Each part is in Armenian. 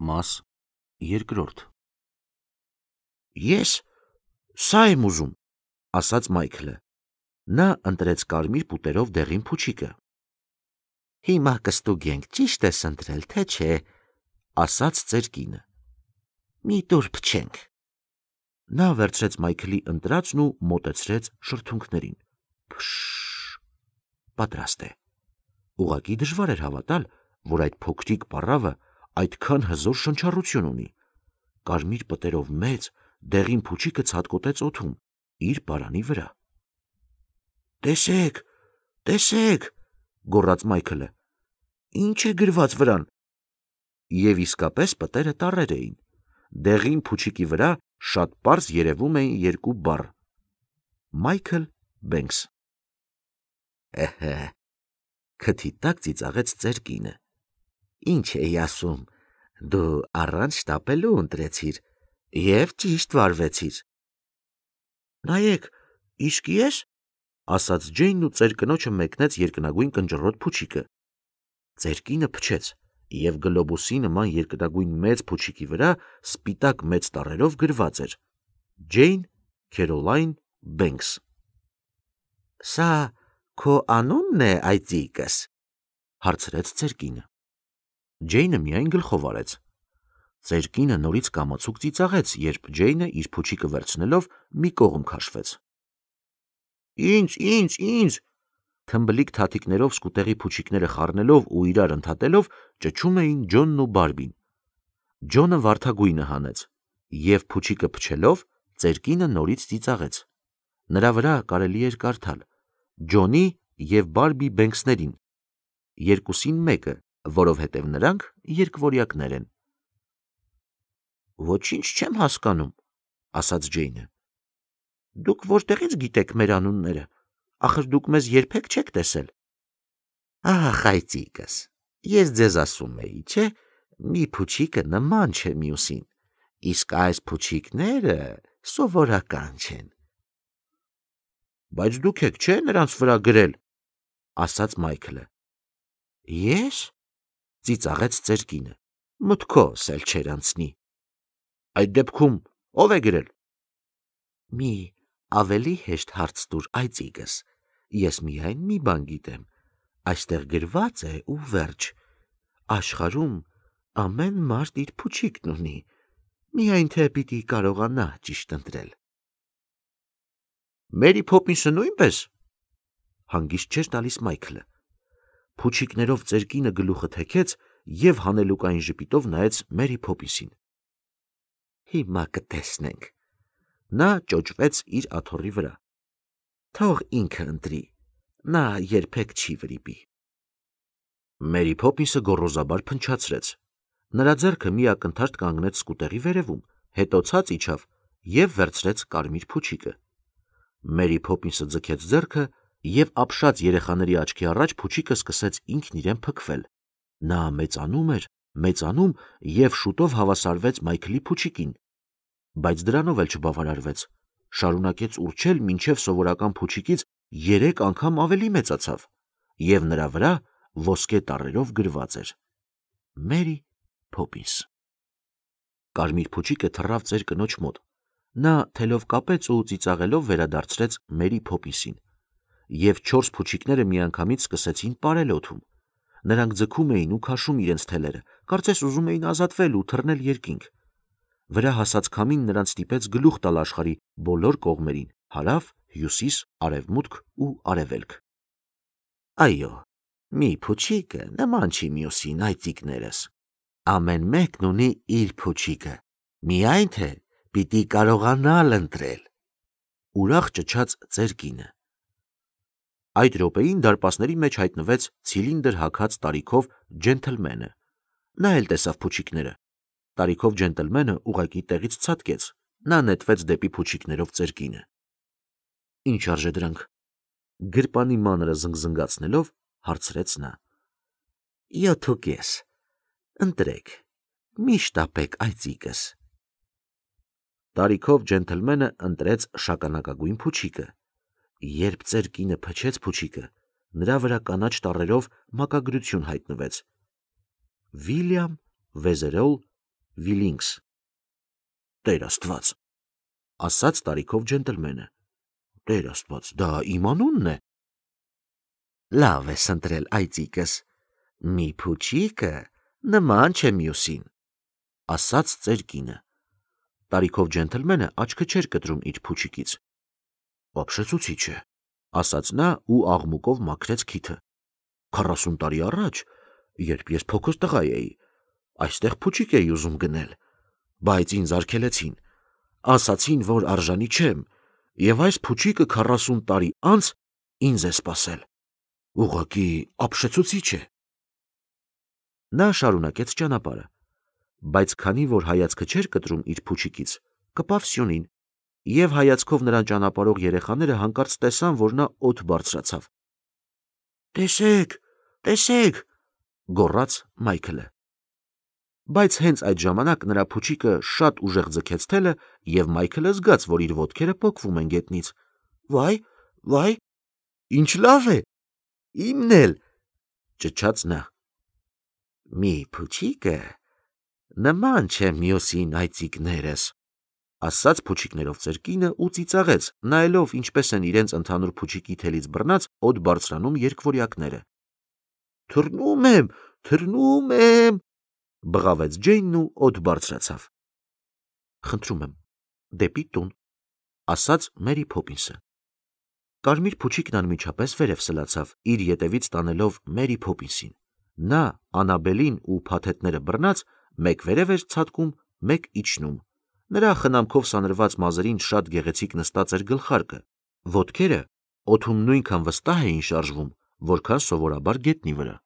Մաս երկրորդ Ես սա եմ ուզում, ասաց Մայքլը։ Նա ընտրեց կարմիր պուտերով դեղին փուչիկը։ Հիմա կստուգենք, ճիշտ ես ընտրել, թե չէ, ասաց ծեր կինը։ Մի տուր փչենք։ Նա վերցրեց Մայքլի ընտրածն ու մոտեցրեց շրթունքներին։ Փշ, պատրաստ է։ Ուղղակի դժվար էր հավատալ, որ այդ փոքրիկ պառավը այդքան հզոր շնչառություն ունի։ Կարմիր պտերով մեծ, դեղին փուչիկը ցատկոտեց օդում, իր պարանի վրա։ Տեսեք, տեսեք, գոռաց Մայքլը։ Ինչ է գրված վրան։ Եվ իսկապես պտերը տառեր էին։ Դեղին փուչիկի վրա շատ պարզ երևում էին երկու բառ. Մայքլ Բենքս։ Քթի տակ ծիծաղեց ծեր կինը։ Ինչ էի ասում, դու առանց շտապելու ընտրեցիր և ճիշտ վարվեցիր։ Նայեք, իսկ ես, ասաց Ջեյնն ու ծեր կնոջը մեկնեց երկնագույն կնճռոտ փուչիկը։ Ծեր կինը փչեց, և գլոբուսի նման երկնագույն մեծ փուչիկի վրա սպիտակ մեծ տառերով գրված էր. Ջեյն Քերոլայն Բենքս։ Սա քո անունն է, այծիկս, հարցրեց ծեր կինը։ Ջեյնը միայն գլխով արեց։ Ծեր կինը նորից կամացուկ ծիծաղեց, երբ Ջեյնը իր փուչիկը վերցնելով մի կողմ քաշվեց։ Ինձ, թմբլիկ թաթիկներով սկուտեղի փուչիկները խառնելով ու իրար ընդհատելով ճչում էին Ջոնն ու Բարբին։ Ջոնը վարդագույնը հանեց, և փուչիկը փչելով ծեր կինը նորից ծիծաղեց։ Նրա վրա կարելի էր կարդալ. Ջոնի և Բարբի Բենքսներին, երկուսին մեկը, որովհետև նրանք երկվորյակներ են։ Ոչինչ չեմ հասկանում, ասաց Ջեյնը։ Դուք որտեղից գիտեք մեր անունները, ախր դուք մեզ երբեք չեք տեսել։ Ահ, այծիկս, ես ձեզ ասում էի, չէ, մի փուչիկը նման չէ մյուսին, իսկ այս փուչիկները սովորական չեն։ Բայց դուք եք, չէ, նրանց վրա գրել, ասաց Մայքլը։ Ես, ծիծաղեց ծեր կինը, մտքովս էլ չէր անցնի։ Այդ դեպքում ով է գրել։ Մի ավելի հեշտ հարց տուր, այծիկս, ես միայն մի բան գիտեմ, այստեղ գրված է ու վերջ, աշխարհում ամեն մարդ իր փուչիկն ունի, միայն թե պիտի կարողանա ճիշտ ընտրել։ Մերի Փոփինսը նույնպես, հանգիստ չէր տալիս Մայքլը։ Փուչիկներով ծեր կինը գլուխը թեքեց և հանելուկային ժպիտով նայեց Մերի Փոփինսին։ Հիմա կտեսնենք։ Նա ճոճվեց իր աթոռի վրա։ Թող ինքը ընտրի, նա երբեք չի վրիպի։ Մերի Փոփինսը գոռոզաբար փնչացրեց։ Նրա ձեռքը մի ակնթարթ կանգնեց սկուտեղի վերևում, հետո ցած իջավ և վերցրեց կարմիր փուչիկը։ Մերի Փոփինսը ձգեց ձեռքը, և ապշած երեխաների աչքի առաջ փուչիկը սկսեց ինքն իրեն փքվել։ Նա մեծանում էր, մեծանում և շուտով հավասարվեց Մայքլի փուչիկին։ Բայց դրանով էլ չբավարարվեց։ Շարունակեց ուռչել, մինչև սովորական փուչիկից 3 անգամ ավելի մեծացավ, և նրա վրա ոսկե տառերով գրված էր. Մերի Փոփինս։ Կարմիր փուչիկը թռավ ծեր կնոջ մոտ։ Նա թելով կապեց ու ծիծաղելով վերադարձրեց Մերի Փոփինսին, և 4 փուչիկները միանգամից սկսեցին պարել օդում։ Նրանք ձգում էին ու քաշում իրենց թելերը, կարծես ուզում էին ազատվել ու թռնել երկինք։ Վրա հասած քամին նրանց ստիպեց գլուխ տալ աշխարհի բոլոր կողմերին՝ հարավ, հյուսիս, արևմուտք ու արևելք։ Այո, մի փուչիկը նման չի մյուսին, այծիկներս։ Ամեն մեկն ունի իր փուչիկը, միայն թե պիտի կարողանալ ընտրել։ Ուրախ ճչաց ծեր կինը։ Այդ րոպեին դարպասների մեջ հայտնվեց ցիլինդր հագած տարիքով ջենթլմենը։ Նա էլ տեսավ փուչիկները։ Տարիքով ջենտլմենը ուղղակի տեղից ցատկեց։ Նա նետվեց դեպի փուչիկներով ծեր կինը։ Ինչ արժե դրանք։ Գրպանի մանրը զնգզնգացնելով հարցրեց նա։ 7.5։ Ընտրեք, մի շտապեք, այծիկս։ Տարիքով ջենթլմենը ընտրեց շագանակագույն փուչիկը։ Երբ ծեր կինը փչեց փուչիկը, նրա վրա կանաչ տառերով մակագրություն հայտնվեց. Վիլյամ Վեզերոլ Վիլինգս։ Տեր Աստված, ասաց տարիքով ջենտլմենը։ Տեր Աստված, դա իմ անունն է։ Լավ ես ընտրել, այծիկս, մի փուչիկը նման չէ մյուսին, ասաց ծեր կինը։ Տարիքով ջենտլմենը աչքը չէր կտրում իր փուչիկից։ Ապշեցուցիչ է, ասաց նա ու աղմուկով մաքրեց քիթը։ 40 տարի առաջ, երբ ես փոքր տղա էի, այստեղ փուչիկ էի ուզում գնել, բայց ինձ արգելեցին, ասացին, որ արժանի չեմ, եւ այս փուչիկը 40 տարի անց ինձ է սպասել։ Ուղղակի ապշեցուցիչ է։ Նա շարունակեց ճանապարհը, բայց քանի որ հայացքը չէր կտրում իր փուչիկից, կպավ Սյունին, եւ հայացքով նրան ճանապարհող երեխաները հանկարծ տեսան, որ նա օդ բարձրացավ։ Տեսեք, տեսեք, գոռաց Մայքլը։ Բայց հենց այդ ժամանակ նրա փուչիկը շատ ուժեղ ձգեց թելը, եւ Մայքլը զգաց, որ իր ոտքերը պոկվում են գետնից։ Վայ, ինչ լավ է, իմն էլ, ճչաց նա։ Մի փուչիկը նման չէ մյուսին, այծիկներս, ասաց փուչիկներով ծեր կինը ու ծիծաղեց, նայելով ինչպես են իրենց ընդհանուր փուչիկի թելից բռնած օդ բարձրանում երկվորյակները։ Թռնում եմ, բղավեց Ջեյնն ու օդ բարձրացավ։ Խնդրում եմ, դեպի տուն, ասաց Մերի Փոփինսը։ Կարմիր փուչիկն անմիջապես վերև սլացավ, իր ետևից տանելով Մերի Փոփինսին։ Նա Անաբելին ու փաթեթները բռնած մեկ վերև էր ցատկում, մեկ իջնում։ Նրա խնամքով սանրված մազերին շատ գեղեցիկ նստած էր գլխարկը, ոտքերը օդում նույնքան վստահ էին շարժվում, որքան սովորաբար գետնի վրա։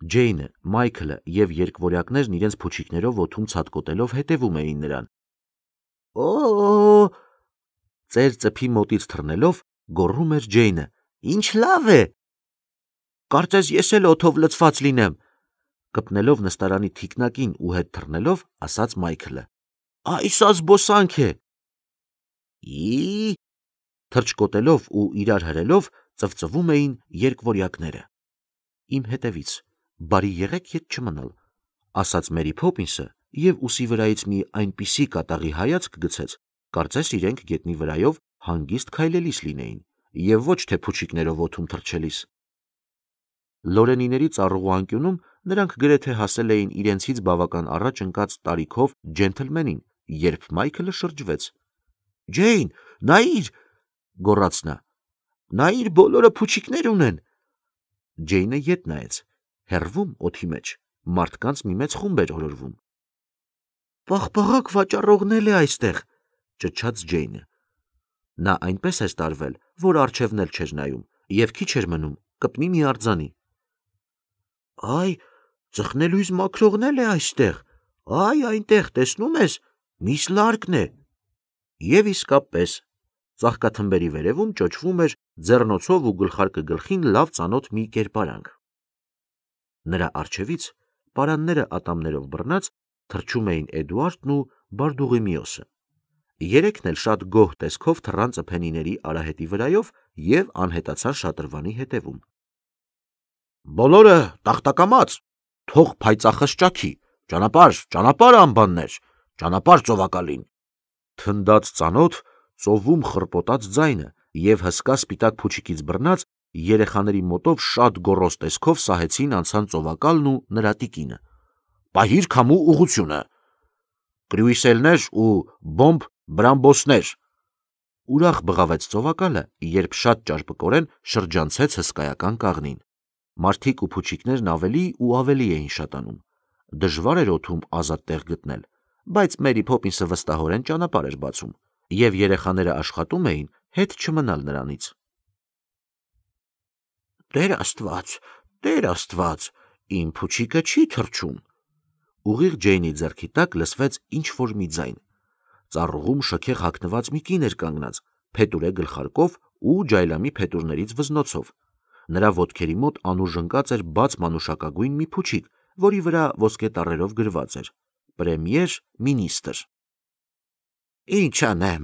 Ջեյնը, Մայքլը եւ երկվորյակներն իրենց փուչիկներով օդում ցատկոտելով հետևում էին նրան։ Ծեր ծփի մոտից թռնելով գոռում էր Ջեյնը. Ինչ լավ է։ Կարծես ես էլ օդով լցված լինեմ, կպնելով նստարանի թիկնակին ու հետ թռնելով, ասաց Մայքլը։ Այս զբոսանք է։ Թրջկոտելով ու իրար հրելով ծվծվում էին երկվորյակները։ Իմ հետևից, բարի եղեք ետ չմնալ, ասաց Մերի Փոփինսը եւ ուսի վրայից մի այնպիսի կատաղի հայացք գցեց, կարծես իրենք գետնի վրայով հանգիստ քայլելիս լինեին եւ ոչ թե փուչիկներով օդում թռչելիս։ Լորենիների ծառուղու անկյունում նրանք գրեթե հասել էին իրենցից բավական առաջ ընկած տարիքով ջենթլմենին, երբ Մայքլը շրջվեց։ Ջեյն, նայիր, գոռաց նա, նայիր, բոլորը փուչիկներ ունեն։ Ջեյնը ետ նայեց, հեռվում օդի մեջ մարդկանց մի մեծ խումբ էր օրորվում։ Պաղպաղակ վաճառողն է այստեղ, ճչաց Ջեյնը։ Նա այնպես էր տարվել, որ առջևն էլ չէր նայում, եւ քիչ էր մնում կպնի մի արձանի։ Այ, ծխնելույզ մաքրողն է այստեղ, այ այնտեղ, տեսնում ես, միս լարկն է։ Եվ իսկապես, ծաղկաթմբերի վերևում ճոճվում էր ձեռնոցով ու գլխարկը գլխին լավ ծանոթ մի կերպարանք։ Նրա առջևից, պարանները ատամներով բռնած, թռչում էին Էդուարդն ու Բարդուղիմիոսը։ Երեքն էլ շատ գոհ տեսքով թռան ծփենիների արահետի վրայով եւ անհետացան շատրվանի հետևում։ Բոլորը տախտակամած, թող փայծախս ճաքի, ճանապարհ անբաններ, ճանապարհ ծովակալին։ Թնդաց ծանոթ, ծովում խռպոտած ձայնը եւ հսկա սպիտակ փուչիկից բռնած երեխաների մոտով շատ գոռոզ տեսքով սահեցին անցան ծովակալն ու նրա տիկինը։ Պահիր քամու ուղությունը։ Կրյուիսելներ ու բոմբ բրամբոսներ։ Ուրախ բղավեց ծովակալը, երբ շատ ճարպկորեն շրջանցեց հսկայական կաղնին։ Մարդիկ ու փուչիկներն ավելի ու ավելի էին շատանում։ Դժվար էր օդում ազատ տեղ գտնել, բայց Մերի Փոփինսը վստահորեն ճանապարհ էր բացում, եւ երեխաները աշխատում էին հետ չմնալ նրանից։ Տեր Աստված, իմ փուչիկը չի թռչում։ Ուղիղ Ջեյնի ձեռքի տակ լսվեց ինչ-որ մի ձայն։ Ծառուղում շքեղ հագնված մի կին էր կանգնած, փետուրե գլխարկով ու ջայլամի փետուրներից վզնոցով։ Նրա ոտքերի մոտ անուշ ընկած էր բաց մանուշակագույն մի փուչիկ, որի վրա ոսկե տառերով գրված էր. Պրեմիեր մինիստր։ Ինչ անեմ,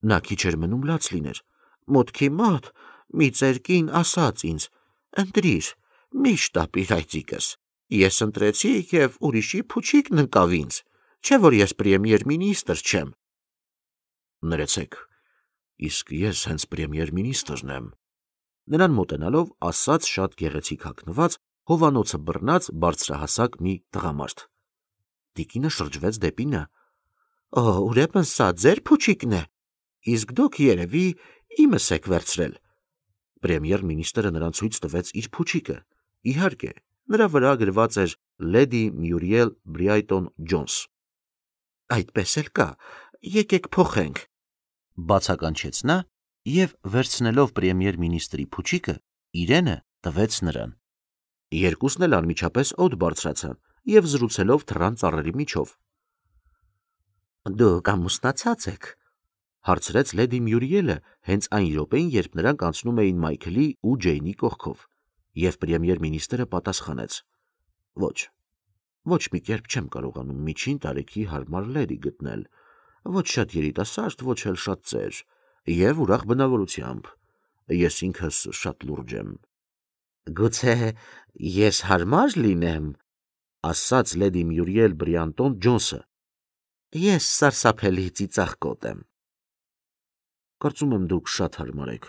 նա քիչ էր մնում լաց լիներ։ Մոտքի մոտ մի ծեր կին ասաց ինձ. ընտրիր, մի շտապիր այծիկս, Ես ընտրեցի եւ ուրիշի փուչիկն ընկավ ինձ, չէ որ ես պրեմիեր մինիստր չեմ։ Ներեցեք, իսկ ես հենց պրեմիեր մինիստրն եմ։ Նրան մոտենալով ասաց շատ գեղեցիկ հագնված, հովանոցը բռնած բարձրահասակ մի տղամարդ։ Տիկինը շրջվեց դեպի նա։ Ուրեմն սա ձեր փուչիկն է, իսկ դուք երևի իմս եք վերցրել։ Պրեմիեր մինիստրը նրան ցույց տվեց իր փուչիկը։ Իհարկե, նրա վրա գրված էր Լեդի Մյուրիել Բրայտոն Ջոնս։ Այդպես էլ կա, եկեք փոխենք, բացականչեց նա եւ վերցնելով պրեմիեր մինիստրի փուչիկը, իրենը տվեց նրան։ Երկուսն էլ անմիջապես օդ բարձրացան եւ զրուցելով թռան ծառերի միջով։ Դուք ամուսնացած եք, հարցրեց Լեդի Մյուրիելը հենց այն րոպեին, երբ նրանք անցնում էին Մայքլի ու Ջեյնի կողքով, եւ պրեմիեր մինիստրը պատասխանեց. Ոչ մի կերպ չեմ կարողանում միջին տարեքի հարմար լեդի գտնել, ոչ շատ երիտասարդ, ոչ էլ շատ ծեր, եւ ուրախ բնավորությամբ։ Ես ինքս շատ լուրջ եմ։ Գուցե ես հարմար լինեմ, ասաց Լեդի Մյուրիել Բրայտոն Ջոնսը։ Ես սարսափելի ծիծաղկոտ եմ։ Կարծում եմ դուք շատ հարմար եք,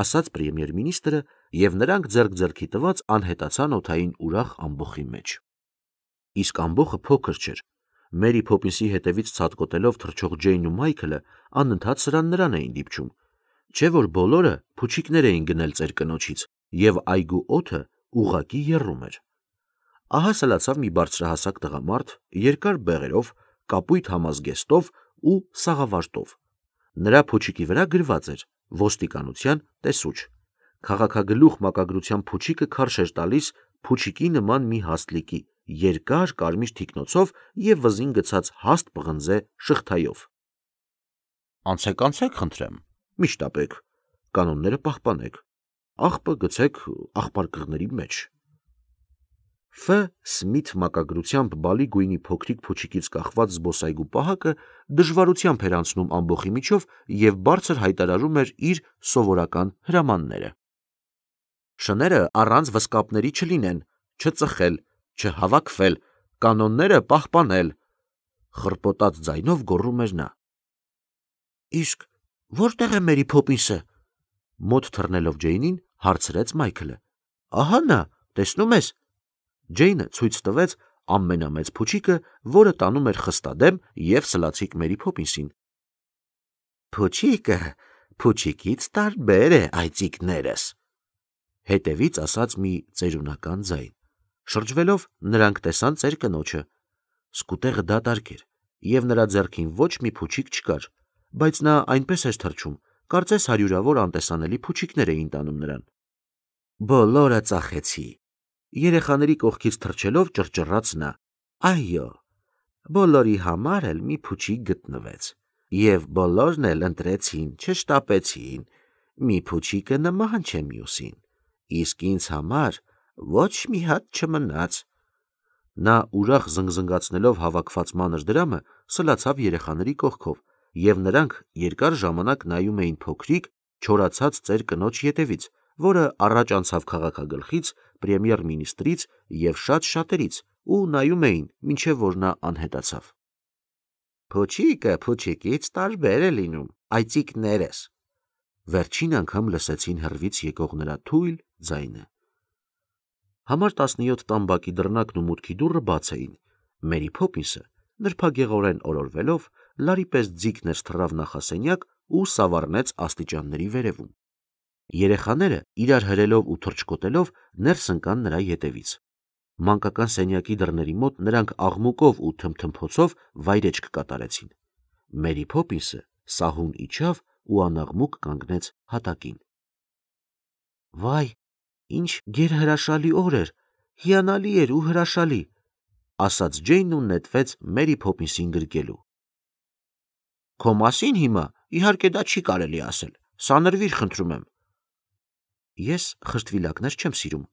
ասաց պրեմիեր մինիստրը, եւ նրանք ձեռք ձեռքի տված անհետացան օդային ուրախ ամբոխի մեջ։ Իսկ ամբոխը փոքր չէր։ Մերի Փոփինսի հետևից ցատկոտելով թռչող Ջեյնն ու Մայքլը անընդհատ նրան էին դիպչում, չէ որ բոլորը փուչիկներ էին գնել ծեր կնոջից, եւ այգու օդը ուղղակի եռում էր։ Ահա սլացավ մի բարձրահասակ տղամարդ, երկար բեղերով, կապույտ համազգեստով ու սաղավարտով։ Նրա փուչիկի վրա գրված էր ոստիկանության տեսուչ։ Քաղաքագլուխ մակագրության փուչիկը քարշ էր տալիս փուչիկի նման մի հաստլիկի, երկար կարմիր թիկնոցով եւ վզին գցած հաստ պղնձե շղթայով։ Անցեք, խնդրեմ, միշտապեք, կանոնները պահպանեք, աղբը գցեք աղբարկղների մեջ։ Ֆ. Սմիթ մակագրությամբ բալի գույնի փոքրիկ փուչիկից կախված զբոսայգու պահակը դժվարությամբ էր անցնում ամբոխի միջով եւ բարձր հայտարարում էր իր սովորական հրամանները։ Շները առանց վսկապների չլինեն, չծխել, չհավաքվել, կանոնները պահպանել, խռպոտած ձայնով գոռում էր նա։ Իսկ որտեղ է Մերի Փոփինսը, մոտ թռնելով Ջեյնին, հարցրեց Մայքլը։ Ահա նա, տեսնում ես։ Ջեյնը ցույց տվեց ամենամեծ փուչիկը, որը տանում էր խստադեմ եւ սլացիկ Մերի Փոփինսին։ Փուչիկը փուչիկից տարբեր է, այծիկներս, հետևից ասաց մի ծերունական ձայն։ Շրջվելով նրանք տեսան ծեր կնոջը։ Սկուտեղը դատարկ էր, եւ նրա ձեռքին ոչ մի փուչիկ չկար, բայց նա այնպես էր թռչում, կարծես հարյուրավոր անտեսանելի փուչիկներ էին տանում նրան։ Բոլորը ծախեցի։ Երեխաների կողքից թռչելով ճռճռաց նա։ Այո, բոլորի համար էլ մի փուչիկ գտնվեց, եւ բոլորն էլ ընտրեցին, չշտապեցին, մի փուչիկը նման չէ մյուսին, իսկ ինձ համար ոչ մի հատ չմնաց։ Նա ուրախ զնգզնգացնելով հավաքված մանր դրամը սլացավ երեխաների կողքով, եւ նրանք երկար ժամանակ նայում էին փոքրիկ, չորացած ծեր կնոջ ետևից, որը առաջ անցավ քաղաքագլխից, պրեմիեր մինիստրից եւ շատ շատերից, ու նայում էին, մինչեւ որ նա անհետացավ։ Փուչիկը փուչիկից տարբեր է լինում, այծիկներս։ Վերջին անգամ լսեցին հեռվից եկող նրա թույլ ձայնը։ Համար 17 տամբակի դռնակն ու մուտքի դուռը բաց էին։ Մերի Փոփինսը նրբագեղորեն օրորվելով լարի պես ձիգներ թռավ նախասենյակ ու սավառնեց աստիճանների վերևում։ Երեխաները իրար հրելով ու թռչկոտելով ներս ընկան նրա ետևից։ Մանկական սենյակի դռների մոտ նրանք աղմուկով ու թմթմփոցով վայրեջք կատարեցին։ Մերի Փոփինսը սահուն իջավ ու անաղմուկ կանգնեց հատակին։ Վայ, ինչ գերհրաշալի օր էր, հիանալի էր ու հրաշալի, ասաց Ջեյնն ու նետվեց Մերի Փոփինսին գրկելու։ Քո մասին հիմա իհարկե դա չի կարելի ասել, սանրվիր խնդրում եմ։ Ես խրտվիլակներ չեմ սիրում,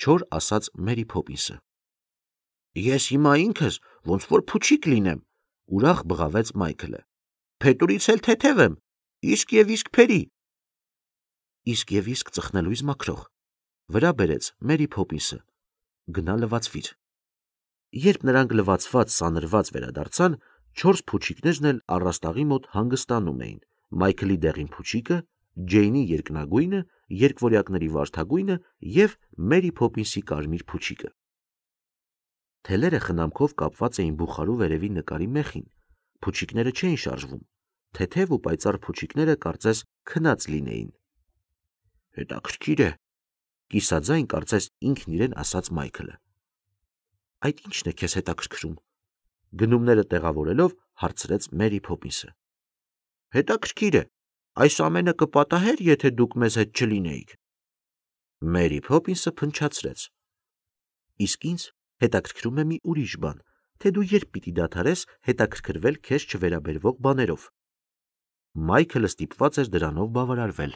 չոր ասաց Մերի Փոփինսը։ Ես հիմա ինքս ոնց որ փուչիկ լինեմ, ուրախ բղավեց Մայքլը։ Փետուրից էլ թեթև եմ, իսկ եւ իսկ փերի։ Իսկ եւ իսկ ծխնելույզ մաքրող, վրա բերեց Մերի Փոփինսը։ գնա լվացվիր։ Երբ նրանք լվացված սանրված վերադարձան, 4 փուչիկներն էլ առաստաղի մոտ հանգստանում էին. Մայքլի դեղին փուչիկը, Ջեյնի երկնագույնը, երկվորյակների վարդագույնը եւ Մերի Փոփինսի կարմիր փուչիկը։ Թելերը խնամքով կապված էին բուխարու վերևի նկարի մեխին։ Փուչիկները չէին շարժվում։ Թեթև ու պայծառ փուչիկները կարծես քնած լինեին։ Հետաքրքիր է, կիսաձայն կարծես ինքն իրեն ասաց Մայքլը։ Այդ ի՞նչն է քեզ հետաքրքրում։ Գնումները տեղավորելով հարցրեց Մերի Փոփինսը։ Հետաքրքիր է, այս ամենը կպատահեր, եթե դուք մեզ հետ չլինեիք։ Մերի Փոփինսը փնչացրեց։ Իսկ ինձ հետաքրքրում է մի ուրիշ բան, թե դու երբ պիտի դադարես հետաքրքրվել քեզ չվերաբերվող բաներով։ Մայքլը ստիպված էր դրանով բավարարվել։